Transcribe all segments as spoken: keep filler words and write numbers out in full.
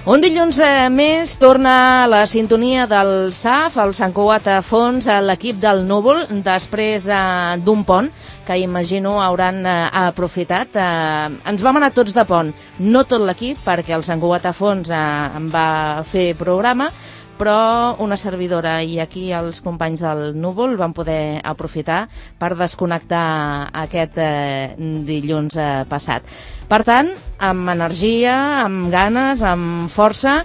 Un dilluns eh, més torna la sintonia del S A F, el Sant Cugat a fons, a l'equip del Núvol, després eh, d'un pont que imagino hauran eh, aprofitat. Eh, ens vam anar tots de pont, no tot l'equip, perquè el Sant Cugat a fons eh, em va fer programa, però una servidora i aquí els companys del Núvol van poder aprofitar per desconnectar aquest eh, dilluns eh, passat. Per tant, amb energia, amb ganes, amb força,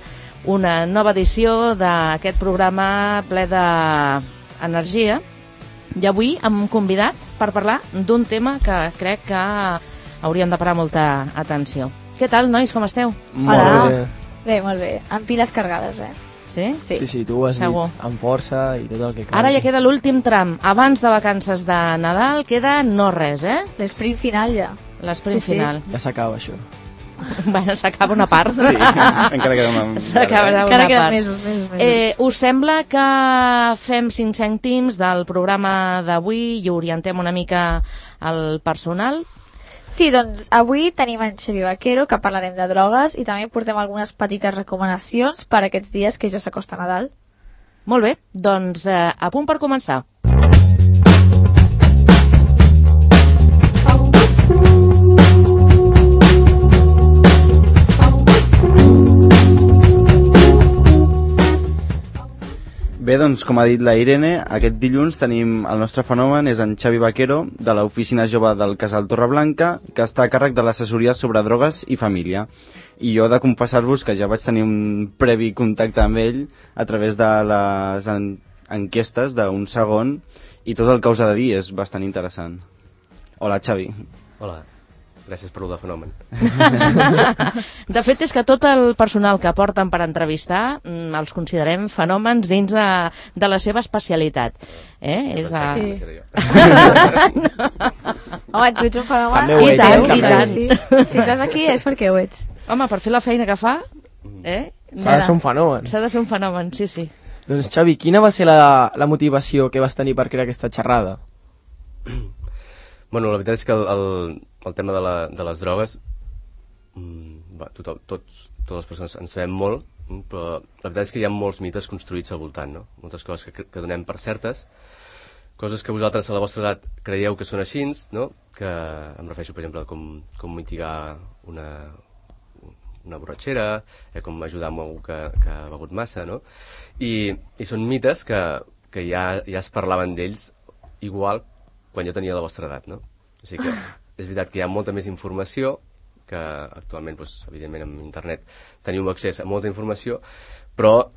una nova edició d'aquest programa ple d'energia. I avui hem convidat per parlar d'un tema que crec que hauríem de parar molta atenció. Què tal, nois, com esteu? Molt Hola. bé. Bé, molt bé. Amb piles cargades, eh? Sí? Sí. Sí, sí, tu ho has Segur. dit amb força i tot el que cal. Ara ja queda l'últim tram. Abans de vacances de Nadal queda no res, eh? L'esprint final ja. L'esprint Sí, sí. final. Ja s'acaba això. Bueno, s'acaba una part. Sí, encara queda una... S'acaba una Encara queden part. mesos, mesos, mesos. Eh, us sembla que fem cinc cèntims del programa d'avui i orientem una mica el personal? Sí, doncs avui tenim en Xavi Vaquero, que parlarem de drogues, i també portem algunes petites recomanacions per aquests dies que ja s'acosta Nadal. Molt bé, doncs eh, a punt per començar. Bé, doncs, com ha dit la Irene, aquest dilluns tenim el nostre fenomen, és en Xavi Vaquero, de l'Oficina Jove del Casal Torreblanca, que està a càrrec de l'assessoria sobre drogues i família. I jo he de confessar-vos que ja vaig tenir un previ contacte amb ell a través de les en enquestes d'un segon, i tot el que us ha de dir és bastant interessant. Hola, Xavi. Hola, gràcies per el fenomen. De fet, és que tot el personal que porten per entrevistar mm, els considerem fenòmens dins de, de la seva especialitat. Eh? És a... Sí. Sí. Home, tu ets un fenomen. També ho I ets, tant, eh? i tant. Sí. Si estàs aquí és perquè ho ets. Home, per fer la feina que fa, eh? S'ha de ser un fenomen. S'ha de ser un fenomen, sí, sí. Doncs, Xavi, quina va ser la, la motivació que vas tenir per crear aquesta xerrada? Bueno, la veritat és que el, el, el tema de, la, de les drogues, mm, va, tothom, tots, totes les persones en sabem molt, mm, però la veritat és que hi ha molts mites construïts al voltant, no? Moltes coses que, que donem per certes, coses que vosaltres a la vostra edat creieu que són així, no? Que em refereixo, per exemple, a com, com mitigar una, una borratxera, eh, com ajudar amb algú que, que ha begut massa, no? I, i són mites que, que ja, ja es parlaven d'ells igual quan jo tenia la vostra edat, no? O sigui que és veritat que hi ha molta més informació, que actualment, doncs, evidentment, amb internet teniu accés a molta informació, però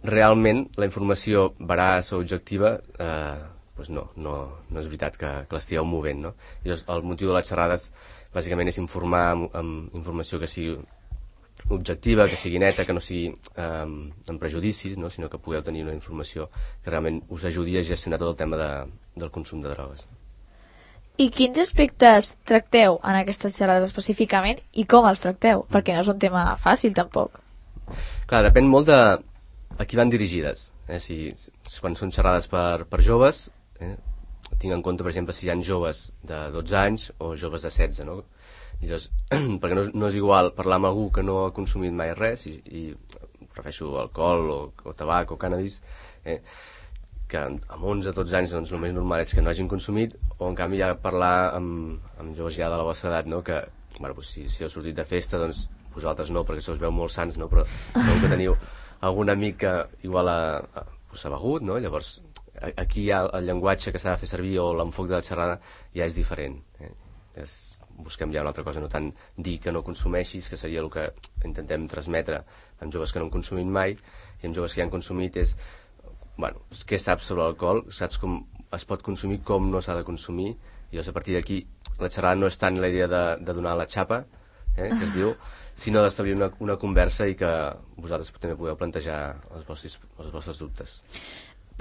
realment la informació veraç o objectiva eh, doncs no, no, no és veritat que, que l'estigueu movent, no? I llavors, el motiu de les xerrades bàsicament és informar amb, amb informació que sigui objectiva, que sigui neta, que no sigui eh, amb prejudicis, no? Sinó que pugueu tenir una informació que realment us ajudi a gestionar tot el tema de, del consum de drogues. I quins aspectes tracteu en aquestes xerrades específicament i com els tracteu? Perquè no és un tema fàcil, tampoc. Clar, depèn molt de a qui van dirigides. Eh? Si, si, quan són xerrades per, per joves, eh? tinc en compte, per exemple, si hi ha joves de dotze anys o joves de setze, no? I llavors, perquè no, no és igual parlar amb algú que no ha consumit mai res, i, i refereixo alcohol o, o tabac o cannabis, eh? que amb onze o dotze anys doncs, el més normal és que no hagin consumit, o en canvi ja parlar amb, amb joves ja de la vostra edat, no? Que bueno, doncs, si, si heu sortit de festa, doncs vosaltres no, perquè se us veu molt sants, no? Però segur que teniu algun amic que igual ha, ha begut, no? Llavors aquí ja el llenguatge que s'ha de fer servir o l'enfoc de la xerrada ja és diferent, eh? és, busquem ja una altra cosa, no tant dir que no consumeixis, que seria el que intentem transmetre amb joves que no han consumit mai, i amb joves que ja han consumit és, bueno, què saps sobre l'alcohol, saps com es pot consumir, com no s'ha de consumir, i llavors a partir d'aquí la xerrada no és tant la idea de, de donar la xapa, eh, que es diu, sinó d'establir una, una conversa i que vosaltres també podeu plantejar els vostres, els vostres dubtes.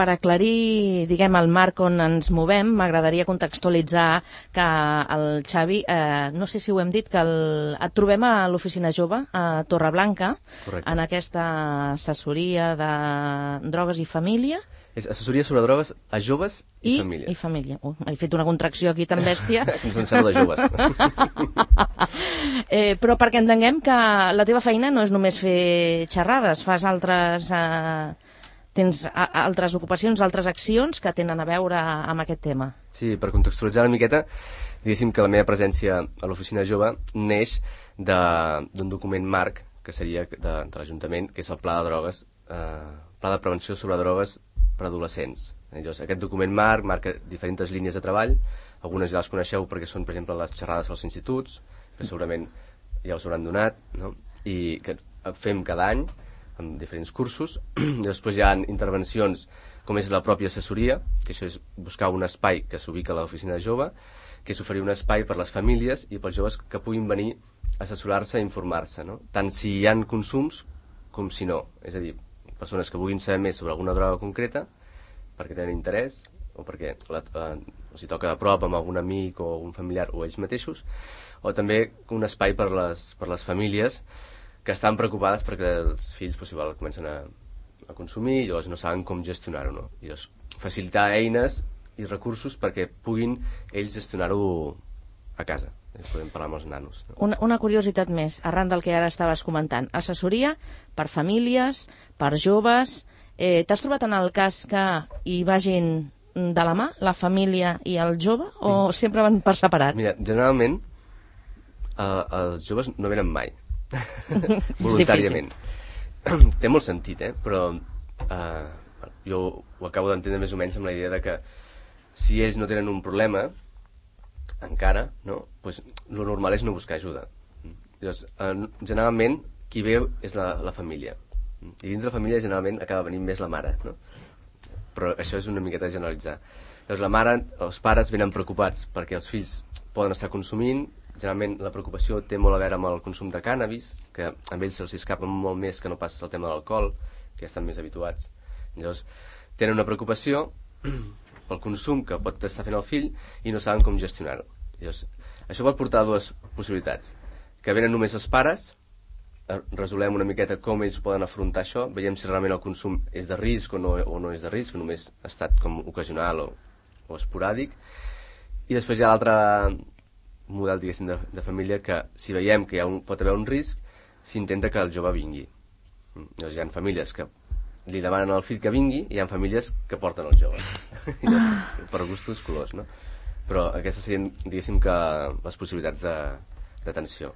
Per aclarir, diguem, el marc on ens movem, m'agradaria contextualitzar que el Xavi, eh, no sé si ho hem dit, que el, et trobem a l'Oficina Jove, a Torreblanca, Correcte. en aquesta assessoria de drogues i família. És assessoria sobre drogues a joves i, I famílies. I família. Uh, he fet una contracció aquí tan bèstia. Ens en sembla de joves. eh, però perquè entenguem que la teva feina no és només fer xerrades, fas altres... Eh, tens a, altres ocupacions, altres accions que tenen a veure amb aquest tema. Sí, per contextualitzar una miqueta, diguéssim que la meva presència a l'oficina jove neix d'un document marc que seria de, de l'Ajuntament, que és el Pla de Drogues, eh, Pla de Prevenció sobre Drogues per Adolescents. Llavors, aquest document marc marca diferents línies de treball, algunes ja les coneixeu perquè són, per exemple, les xerrades als instituts, que segurament ja us hauran donat, no? I que fem cada any, amb diferents cursos. Després hi ha intervencions com és la pròpia assessoria, que això és buscar un espai que s'ubica a l'oficina de jove, que és oferir un espai per les famílies i pels joves que puguin venir a assessorar-se i informar-se, no? Tant si hi ha consums com si no. És a dir, persones que vulguin saber més sobre alguna droga concreta perquè tenen interès o perquè la, eh, els hi toca a prop amb algun amic o un familiar o ells mateixos, o també un espai per les, per les famílies que estan preocupades perquè els fills possible comencen a, a consumir i llavors no saben com gestionar-ho, no? I llavors facilitar eines i recursos perquè puguin ells gestionar-ho a casa. Podem parlar amb els nanos, no? Una, una curiositat més, arran del que ara estaves comentant. Assessoria per famílies, per joves... Eh, T'has trobat en el cas que hi vagin de la mà, la família i el jove, o sempre van per separat? Mira, generalment eh, els joves no venen mai. Voluntàriament. Té molt sentit, eh? Però eh, jo ho acabo d'entendre més o menys amb la idea de que si ells no tenen un problema encara, no? Pues, lo normal és no buscar ajuda. Llavors, eh, generalment qui ve és la, la família, i dins de la família generalment acaba venint més la mare, no? Però això és una miqueta generalitzar. Llavors la mare, els pares venen preocupats perquè els fills poden estar consumint. Generalment la preocupació té molt a veure amb el consum de cànnabis, que amb ells se'ls escapa molt més que no pas el tema de l'alcohol, que ja estan més habituats. Llavors tenen una preocupació pel consum que pot estar fent el fill i no saben com gestionar-ho. Llavors, això pot portar a dues possibilitats: que venen només els pares, resolem una miqueta com ells poden afrontar això, veiem si realment el consum és de risc o no, o no és de risc, o només ha estat com ocasional o, o esporàdic. I després hi ha l'altre model, diguéssim, de, de família, que si veiem que hi ha un, pot haver un risc, s'intenta que el jove vingui. Llavors hi ha famílies que li demanen al fill que vingui i hi ha famílies que porten el jove. Per gustos colors, no? Però aquestes serien, diguéssim, que les possibilitats d'atenció.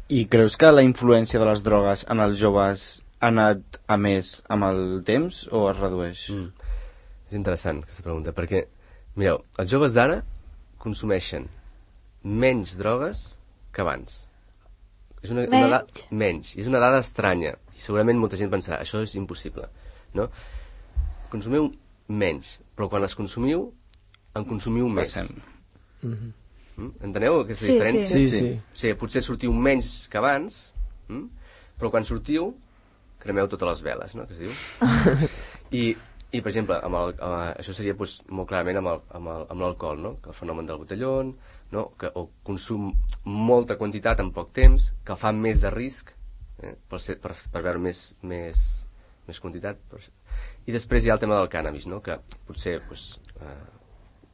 I creus que la influència de les drogues en els joves ha anat a més amb el temps o es redueix? Mm. És interessant aquesta pregunta, perquè, mireu, els joves d'ara consumeixen menys drogues que abans. És una, una dada, menys. És una dada estranya. I segurament molta gent pensarà, això és impossible, no? Consumiu menys, però quan les consumiu, en consumiu més. Mm-hmm. Mm? Enteneu aquesta sí, diferència? Sí, sí. O sigui, potser sortiu menys que abans, mm? però quan sortiu, cremeu totes les veles, no? Que es diu? I, i per exemple, amb el, amb, això seria pues, molt clarament amb l'alcohol, no? Que el fenomen del botellón, no? Que, o consum molta quantitat en poc temps, que fa més de risc, eh? per, ser, per, per veure més, més, més quantitat. Per... I després hi ha el tema del cànnabis, no? Que potser, pues, eh,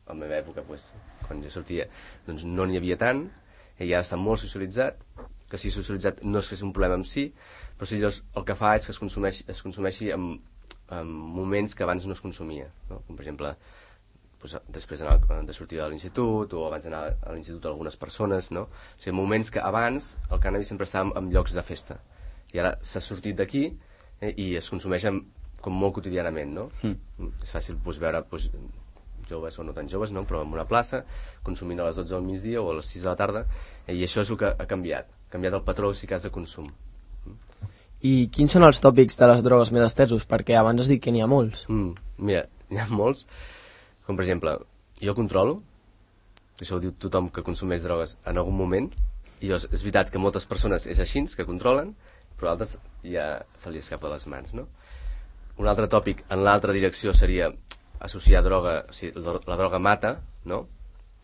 a la meva època, pues, quan jo sortia, doncs no n'hi havia tant, i ja està molt socialitzat, que si socialitzat no és que és un problema en si, però si llavors el que fa és que es consumeixi, es consumeixi en, en moments que abans no es consumia, no? Com per exemple doncs, després de sortir de l'institut o abans d'anar a l'institut algunes persones, no? O sigui, moments que abans el cànnabis sempre estava en, en llocs de festa i ara s'ha sortit d'aquí eh, i es consumeix en, com molt quotidianament, no? Mm. És fàcil doncs, veure doncs, joves o no tan joves, no? Però en una plaça consumint a les dotze del migdia o a les sis de la tarda, eh, i això és el que ha canviat ha canviat el patró, si cas, de consum. I quins són els tòpics de les drogues més estesos? Perquè abans has dit que n'hi ha molts. Mm, mira, n'hi ha molts, com per exemple, jo controlo, això ho diu tothom que consumeix drogues en algun moment, i llavors és veritat que moltes persones és així, que controlen, però altres ja se li escapa de les mans, no? Un altre tòpic en l'altra direcció seria associar droga, o sigui, la, la droga mata, no?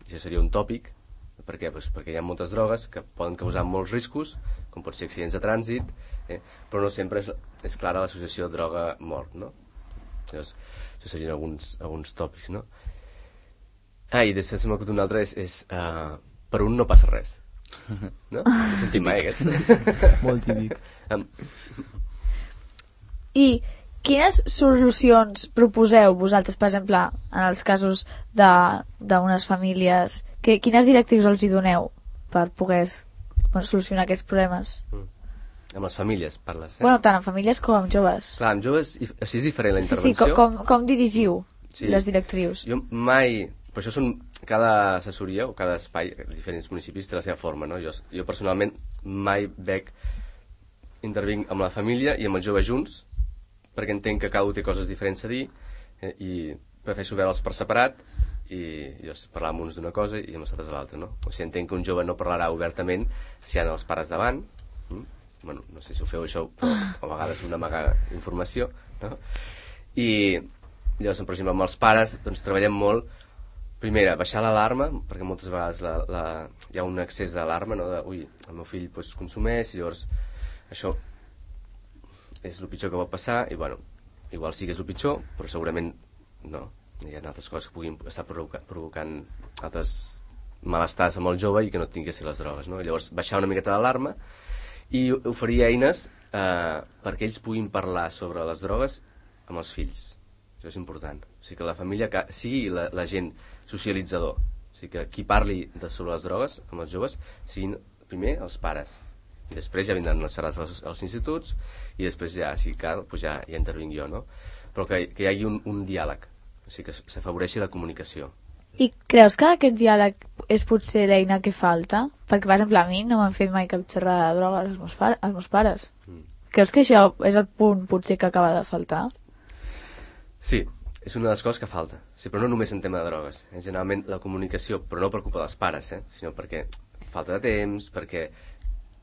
Això seria un tòpic. Per què? Pues perquè hi ha moltes drogues que poden causar molts riscos, com pot ser accidents de trànsit, eh? Però no sempre és, és clara l'associació droga-mort, no? Llavors, això serien alguns, alguns tòpics, no? Ah, i després m'ha acut un altre, és, és uh, per un no passa res. No? He sentit mai, aquest. Molt típic. Um, I quines solucions proposeu vosaltres, per exemple, en els casos d'unes famílies? Que, quines directrius els hi doneu per poder bueno, solucionar aquests problemes? mm. Amb les famílies parles, eh? Bueno, tant amb famílies com amb joves. Clar, amb joves, i- així és diferent la Sí, sí, intervenció. com, com, com dirigiu Sí. les directrius? Jo mai... Per això són... Cada assessoria o cada espai, diferents municipis, té la seva forma, no? Jo, jo personalment mai veig... Intervinc amb la família i amb els joves junts, perquè entenc que cada un té coses diferents a dir, eh, i prefereixo veure'ls per separat, i jo parlar amb uns d'una cosa i amb els altres de l'altra, no? O sigui, entenc que un jove no parlarà obertament si hi ha els pares davant, mm? Bueno, no sé si ho feu això, però a vegades una amaga informació, no? I llavors, per exemple, amb els pares, doncs treballem molt, primera, baixar l'alarma, perquè moltes vegades la, la, hi ha un excés d'alarma, no? De, ui, el meu fill doncs, consumeix, i llavors això és el pitjor que pot passar, i bueno, igual sí que és el pitjor, però segurament no. Hi ha altres coses que puguin estar provoca, provocant altres malestars amb el jove i que no tinguin que ser les drogues, no? Llavors, baixar una miqueta l'alarma i oferir eines eh, perquè ells puguin parlar sobre les drogues amb els fills. Això és important. O sigui, que la família que sigui la, la gent socialitzador. O sigui, que qui parli de, sobre les drogues amb els joves siguin primer els pares. I després ja vindran les xerrades als, als instituts i després ja, si cal, doncs ja, ja intervinc jo, no? Però que, que hi hagi un, un diàleg. O sigui, que s'afavoreixi la comunicació. I creus que aquest diàleg és potser l'eina que falta? Perquè, per exemple, a mi no m'han fet mai cap xerrada de drogues als meus, pare, als meus pares. Mm. Creus que això és el punt potser que acaba de faltar? Sí, és una de les coses que falta. Sí, però no només en tema de drogues. Eh? Generalment la comunicació, però no per culpa dels pares, eh? Sinó perquè falta de temps, perquè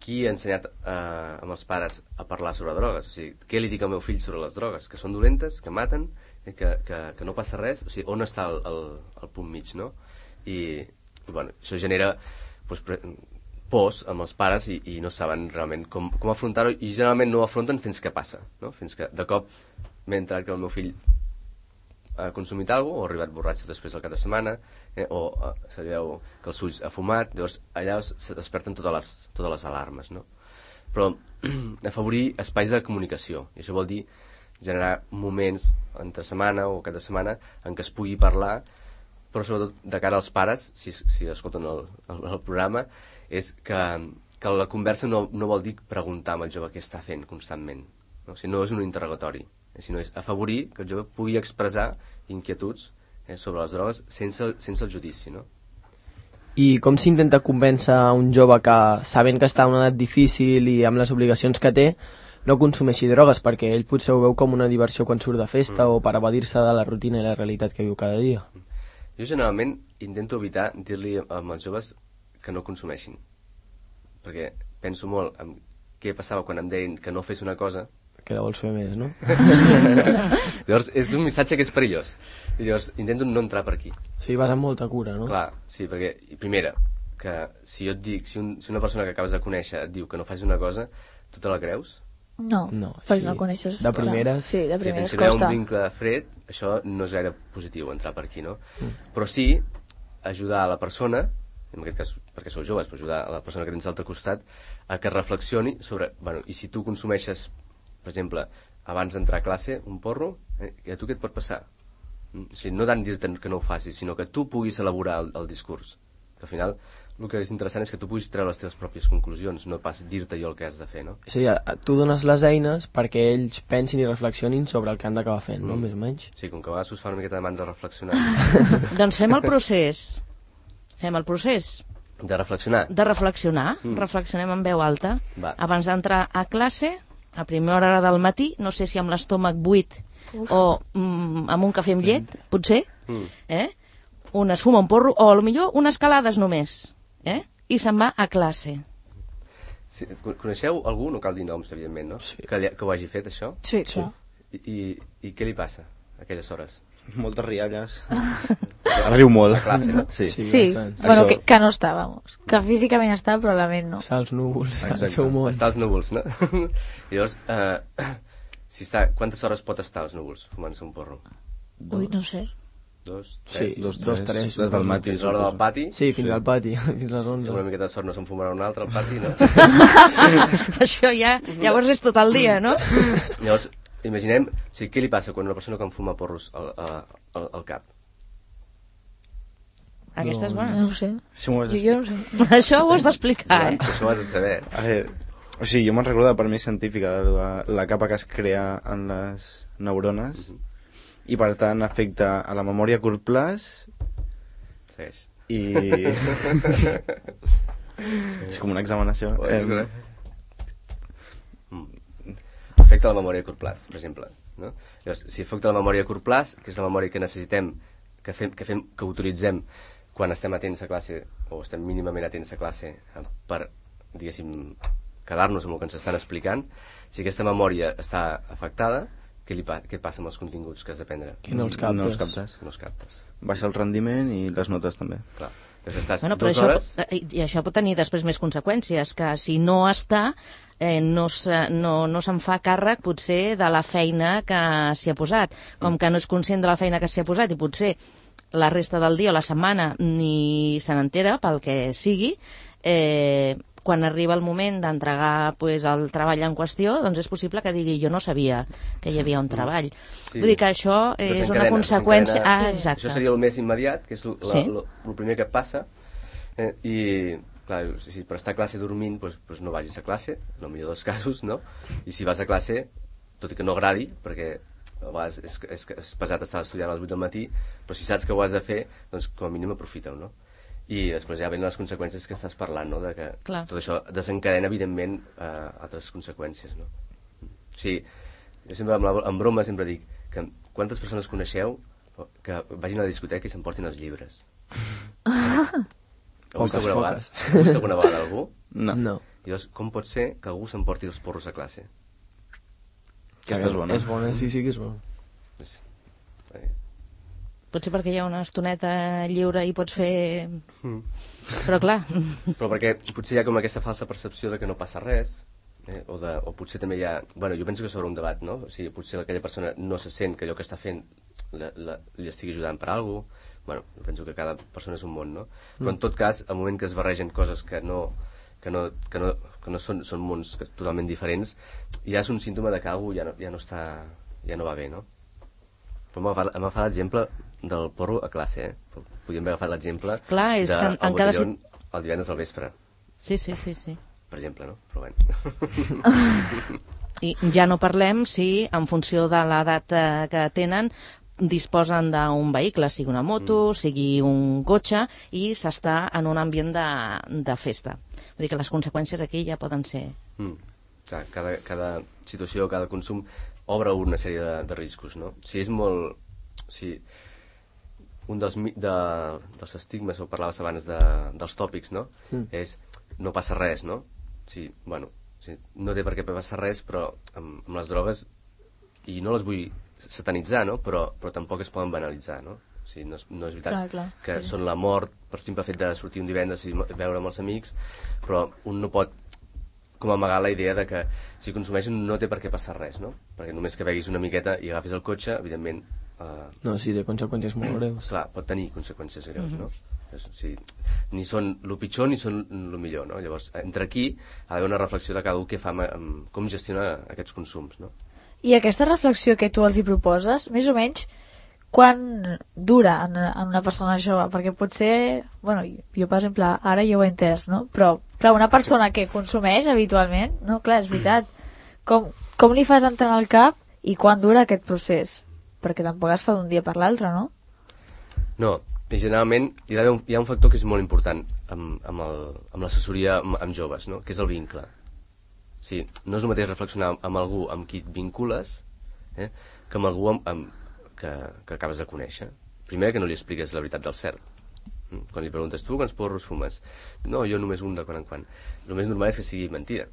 qui ha ensenyat eh, amb els pares a parlar sobre drogues? O sigui, què li dic al meu fill sobre les drogues? Que són dolentes, que maten, eh? que, que, que no passa res? O sigui, on està el, el, el punt mig, no? I, i bueno, això genera doncs, pre pors amb els pares i, i no saben realment com, com afrontar-ho, i generalment no ho afronten fins que passa, no? Fins que de cop m'he entrat que el meu fill ha consumit alguna cosa, o ha arribat borratxo després del cap de setmana, eh, o eh, se li veu que els ulls ha fumat, llavors allà se desperten totes les, totes les alarmes, no? Però afavorir espais de comunicació, i això vol dir generar moments entre setmana o cap de setmana en què es pugui parlar, però sobretot de cara als pares, si, si escolten el, el, el programa, és que, que la conversa no, no vol dir preguntar amb el jove què està fent constantment, no? O sigui, no és un interrogatori, sinó és afavorir que el jove pugui expressar inquietuds eh, sobre les drogues sense, sense el judici, no? I com s'intenta convèncer a un jove que, sabent que està en una edat difícil i amb les obligacions que té, no consumeixi drogues, perquè ell potser ho veu com una diversió quan surt de festa mm. o per evadir-se de la rutina i la realitat que viu cada dia? Jo generalment intento evitar dir-li amb els joves que no consumeixin, perquè penso molt en què passava quan em deien que no fes una cosa, que la vols fer més, no? Llavors és un missatge que és perillós, i llavors intento no entrar per aquí. O sigui, vas amb molta cura, no? Clar, sí, perquè primera, que si jo et dic, si, un, si una persona que acabes de conèixer et diu que no facis una cosa, tu te la creus? No, no perquè sí. no coneixes. De primeres... Sí, de primeres sí, si hi ha costa. un vincle fred, això no és gaire positiu entrar per aquí, no? Mm. Però sí ajudar a la persona, en aquest cas perquè sou joves, però ajudar a la persona que tens a l'altre costat a que reflexioni sobre, bueno, i si tu consumeixes, per exemple, abans d'entrar a classe un porro, eh, a tu què et pot passar? Mm? O sigui, no tant dir-te que no ho facis, sinó que tu puguis elaborar el, el discurs. Que al final el que és interessant és que tu puguis treure les teves pròpies conclusions, no pas dir-te jo el que has de fer, no? És a dir, tu dones les eines perquè ells pensin i reflexionin sobre el que han d'acabar fent, mm. no? Més o menys. Sí, com que a vegades us fa una miqueta de mandra reflexionar. Doncs fem el procés. Fem el procés. De reflexionar? De reflexionar. Mm. Reflexionem en veu alta. Va. Abans d'entrar a classe, a primera hora del matí, no sé si amb l'estómac buit Uf. o mm, amb un cafè amb llet, mm. potser, mm. eh? un es fuma un porro, o potser unes calades només, eh? I se'n va a classe. Sí, coneixeu algú, no cal dir noms, evidentment, no? Sí. Que, que ho hagi fet, això? Sí, sí. I, i, I què li passa a aquelles hores? Moltes rialles. Riu molt. A classe, no? Sí, sí, sí. Bueno, que, que no està, vamos. Que físicament està, però la ment no. Està als núvols, al seu món. Està als núvols, no? Llavors, eh, si està, quantes hores pot estar als núvols fumant-se un porro? Ui, no sé. Dos, Sí, tres? Dos, dos, tres, tres. des del matí. Fins l'hora del pati? Sí, fins al pati, fins les Si onze. amb una miqueta de sort no se'n fumarà un altre al pati, no? Això ja, llavors és tot el dia, no? Llavors, imaginem, o sigui, què li passa quan una persona que en fuma porros al, al, al cap? Aquesta és bona. No ho sé. Si m'ho has Jo, jo no sé. Això ho has d'explicar, Joan, eh? això ho has de saber. A veure, o sigui, jo me'n recordo de per mi científica de la, la capa que es crea en les neurones i per tant afecta a la memòria a curt plaç Segueix. i... és com un examen això. Eh, Afecta la memòria a curt plaç, per exemple. No? Llavors, si afecta la memòria a curt plaç, que és la memòria que necessitem, que, fem, que, fem, que utilitzem quan estem atents a classe, o estem mínimament atents a classe, per, diguéssim, quedar-nos amb el que ens estan explicant, si aquesta memòria està afectada, què, li pa què passa amb els continguts que has d'aprendre? Que no els captes. No els captes. No els captes. Baixa el rendiment i les notes també. Clar. Llavors estàs Bueno, però dues això, hores... pot- i això pot tenir després més conseqüències, que si no està, eh, no, se, no, no se'n fa càrrec potser de la feina que s'hi ha posat. Com que no és conscient de la feina que s'hi ha posat i potser la resta del dia o la setmana ni se n'entera pel que sigui, eh, quan arriba el moment d'entregar pues, el treball en qüestió, doncs és possible que digui jo no sabia que hi havia un treball. Sí. Vull dir que això és una Desencadena, conseqüència... desencadena. Ah, exacte. Això seria el més immediat, que és el Sí. primer que et passa. Eh, I, clar, si per estar a classe dormint, doncs, doncs no vagis a classe, en el millor dels casos, no? I si vas a classe, tot i que no agradi, perquè a vegades és, és, és pesat estar estudiant a les vuit del matí, però si saps que ho has de fer, doncs com a mínim aprofita-ho, no? I després ja venen les conseqüències que estàs parlant, no? De que Clar. tot això desencadena, evidentment, eh, altres conseqüències, no? O sigui, jo sempre, amb, la, amb broma, sempre dic que quantes persones coneixeu que vagin a la discoteca i s'emportin els llibres? Heu vist Poques, alguna vegada? poques. Heu vist alguna vegada algú? No. No. I llavors, com pot ser que algú s'emporti els porros a classe? Aquesta és bona. És bona, sí, sí que és bona. És- eh, Potser perquè hi ha una estoneta lliure i pots fer... Mm. Però clar, Però perquè potser hi ha com aquesta falsa percepció de que no passa res, eh? o, de, o potser també hi ha... Bueno, jo penso que sobre un debat, no? O sigui, potser aquella persona no se sent que allò que està fent la, la, li estigui ajudant per alguna cosa. Bueno, jo penso que cada persona és un món, no? Però en tot cas, al moment que es barregen coses que no, que no, que no, que no són, són mons que totalment diferents, ja és un símptoma de que alguna cosa ja no, ja no està... ja no va bé, no? Però m'ha agafat, m'ha agafat l'exemple del porro a classe, eh? Podríem haver agafat l'exemple Clar, és de que en- el en cada botellón el divendres al vespre, sí, sí, sí, sí. per exemple, no? Però bueno. I ja no parlem si, en funció de l'edat eh, que tenen, disposen d'un vehicle, sigui una moto, mm. sigui un cotxe, i s'està en un ambient de, de festa. Vull dir que les conseqüències aquí ja poden ser... Mm. Clar, cada, cada situació, cada consum obre una sèrie de, de riscos, no? Si és molt... Si un dels, mi- de, dels estigmes, o parlaves abans de, dels tòpics, no? Mm. És no passa res, no? Sí, bueno, sí, no té per què passar res, però amb, amb les drogues, i no les vull satanitzar, no? Però, però tampoc es poden banalitzar, no? O sigui, no és, no és veritat Clar, clar, que sí. són la mort per simple fet de sortir un divendres i veure amb els amics, però un no pot com amagar la idea de que si consumeixen no té per què passar res, no? Perquè només que beguis una miqueta i agafis el cotxe, evidentment, eh, No, sí, té conseqüències molt greus. clar, pot tenir conseqüències greus, no? És, o sigui, ni són el pitjor ni són el millor, no? Llavors, entre aquí ha d'haver una reflexió de cada un que fa amb, amb com gestiona aquests consums, no? I aquesta reflexió que tu els hi proposes, més o menys, quan dura en, en una persona jove? Perquè potser, bueno, jo per exemple, ara jo ho he entès, no? Però, clar, una persona que consumeix habitualment, no, clar, és veritat, com, com li fas entrar al cap i quan dura aquest procés? Perquè tampoc es fa d'un dia per l'altre, no? No, i generalment hi ha, un, hi ha un factor que és molt important amb, amb, el, amb l'assessoria amb, amb joves, no? Que és el vincle. Sí, no és el mateix reflexionar amb algú amb qui et vincules, eh? Que amb algú amb, amb, que, que acabes de conèixer. Primer, que no li expliques la veritat del cert. Quan li preguntes, tu quants porros fumes? No, jo només un de quan en quan. El més normal és que sigui mentida,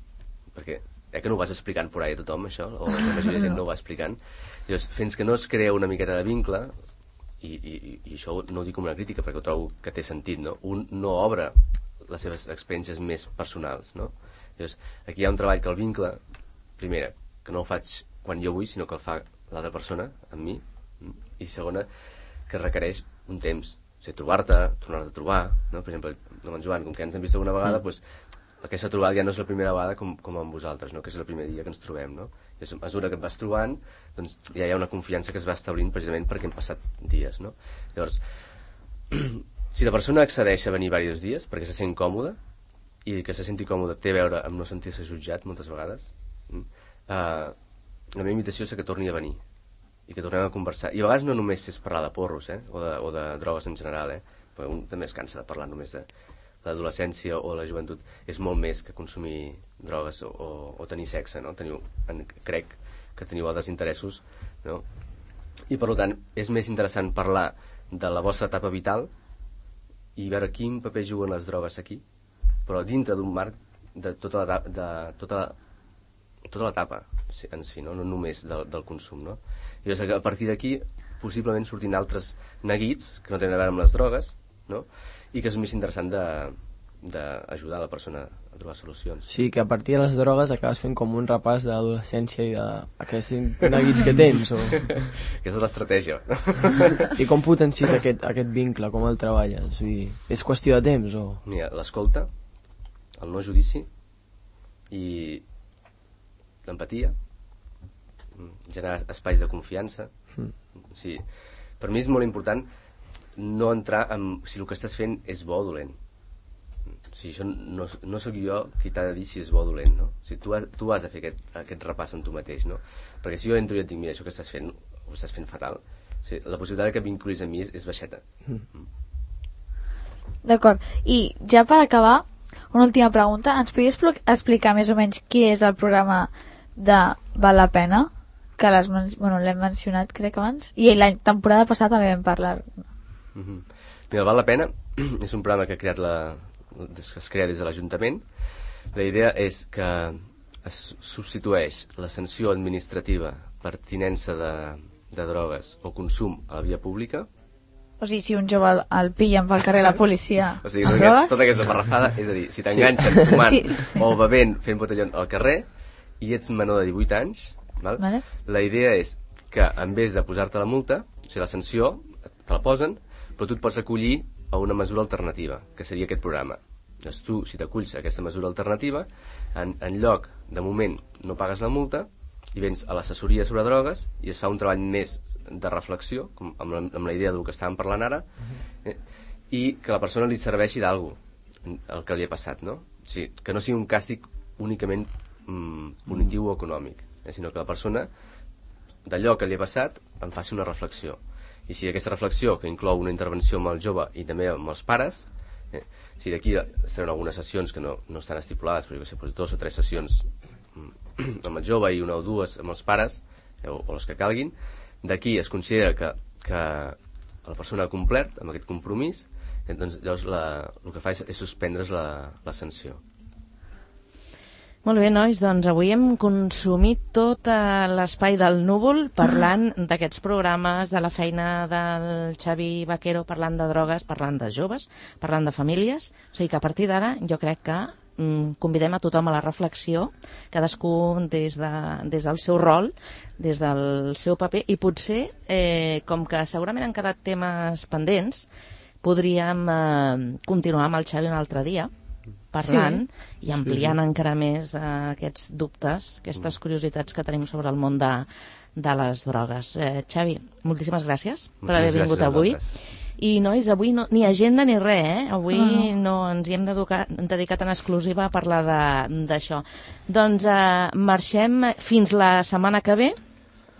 perquè eh, que no ho vas explicant por ahí a tothom, això, o la majoria de gent no ho va explicant. Llavors, fins que no es crea una miqueta de vincle, i, i, i això no ho dic com una crítica, perquè ho trobo que té sentit, no? Un no obre les seves experiències més personals, no? Llavors, aquí hi ha un treball que el vincle, primera, que no el faig quan jo vull, sinó que el fa l'altra persona, amb mi, i segona, que requereix un temps. O sigui, trobar-te, tornar-te a trobar, no? Per exemple, amb en Joan, com que ens hem vist alguna vegada, mm. doncs, aquesta trobada ja no és la primera vegada com, com amb vosaltres, no? Que és el primer dia que ens trobem, no? I a mesura que et vas trobant, doncs ja hi ha una confiança que es va establint precisament perquè hem passat dies, no? Llavors, si la persona accedeix a venir diversos dies perquè se sent còmoda, i que se senti còmode té a veure amb no sentir-se jutjat moltes vegades, eh, la meva invitació és que torni a venir i que tornem a conversar. I a vegades no només és parlar de porros, eh? o, de, o de drogues en general, eh? Perquè un també es cansa de parlar només de l'adolescència o la joventut. És molt més que consumir drogues o, o, o tenir sexe, no? Teniu, en, crec que teniu altres interessos, no? I per tant és més interessant parlar de la vostra etapa vital i veure quin paper juguen les drogues aquí, però dintre d'un marc de tota la, de tota, tota l'etapa en si, no, no només del, del consum, no? I llavors, a partir d'aquí possiblement sortin altres neguits que no tenen a veure amb les drogues, no? I que és més interessant d'ajudar la persona a trobar solucions. Sí, que a partir de les drogues acabes fent com un repàs de l'adolescència i d'aquests neguits que tens. O... Aquesta és l'estratègia. I com potencies aquest, aquest vincle, com el treballes? Vull dir, és qüestió de temps? O... Mira, l'escolta, el no judici i l'empatia, generar espais de confiança. Mm. O sigui, per mi és molt important no entrar en si el que estàs fent és bo o dolent. O sigui, això no, no sóc jo qui t'ha de dir si és bo o dolent, no? O sigui, tu, has, tu has de fer aquest, aquest repàs amb tu mateix, no? Perquè si jo entro i et dic, mira, això que estàs fent ho estàs fent fatal, o sigui, la possibilitat que vinculis a mi és, és baixeta. Mm. D'acord, i ja per acabar una última pregunta, ens podries explicar més o menys qui és el programa de Val la Pena, que l'hem bueno, mencionat crec abans, i la temporada passada també vam parlar. Mm-hmm. Mira, Val la Pena és un programa que ha creat la, que es crea des de l'Ajuntament. La idea és que es substitueix la sanció administrativa per tinença de, de drogues o consum a la via pública. O sigui, si un jove el, el pillen pel carrer la policia o sigui, tota, aquest, tota aquesta parrafada, és a dir, si t'enganxen sí. fumant sí. o bevent fent botellón al carrer i ets menor de divuit anys, val? Vale. La idea és que en vez de posar-te la multa, o sigui, la sanció te la posen, però tu et pots acollir a una mesura alternativa, que seria aquest programa. Doncs tu, si t'aculls a aquesta mesura alternativa, en, en lloc, de moment, no pagues la multa i vens a l'assessoria sobre drogues i es fa un treball més de reflexió, com amb, la, amb la idea del que estàvem parlant ara, eh, i que la persona li serveixi d'algú el que li ha passat, no? O sigui, que no sigui un càstig únicament mm, punitiu o econòmic, eh, sinó que la persona, d'allò que li ha passat, en faci una reflexió. I si aquesta reflexió, que inclou una intervenció amb el jove i també amb els pares, eh, si d'aquí estaran algunes sessions que no, no estan estipulades, però jo sé, dos o tres sessions amb el jove i una o dues amb els pares, eh, o, o les que calguin, d'aquí es considera que, que la persona ha complert amb aquest compromís, eh, doncs llavors la, el que fa és, és suspendre's la, la sanció. Molt bé, nois, doncs avui hem consumit tot eh, l'espai del núvol parlant d'aquests programes, de la feina del Xavi Vaquero, parlant de drogues, parlant de joves, parlant de famílies. O sigui que a partir d'ara jo crec que mm, convidem a tothom a la reflexió, cadascú des, de, des del seu rol, des del seu paper, i potser, eh, com que segurament han quedat temes pendents, podríem eh, continuar amb el Xavi un altre dia, parlant sí. i ampliant sí, sí. encara més uh, aquests dubtes, aquestes curiositats que tenim sobre el món de, de les drogues. Eh, Xavi, moltíssimes gràcies moltíssimes per haver vingut avui. I, nois, avui no, ni agenda ni res, eh? Avui uh-huh. no ens hi hem dedicat en exclusiva a parlar d'això. Doncs uh, marxem fins la setmana que ve.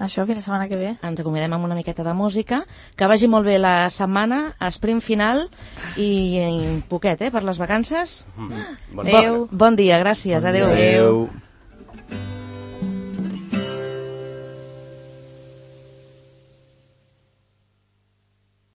Això, fins la setmana que ve. Ens acomodem amb una miqueta de música. Que vagi molt bé la setmana, esprint final i, i poquet, eh, per les vacances. Mm-hmm. Bon, bon dia, gràcies. Bon Adéu. Adéu.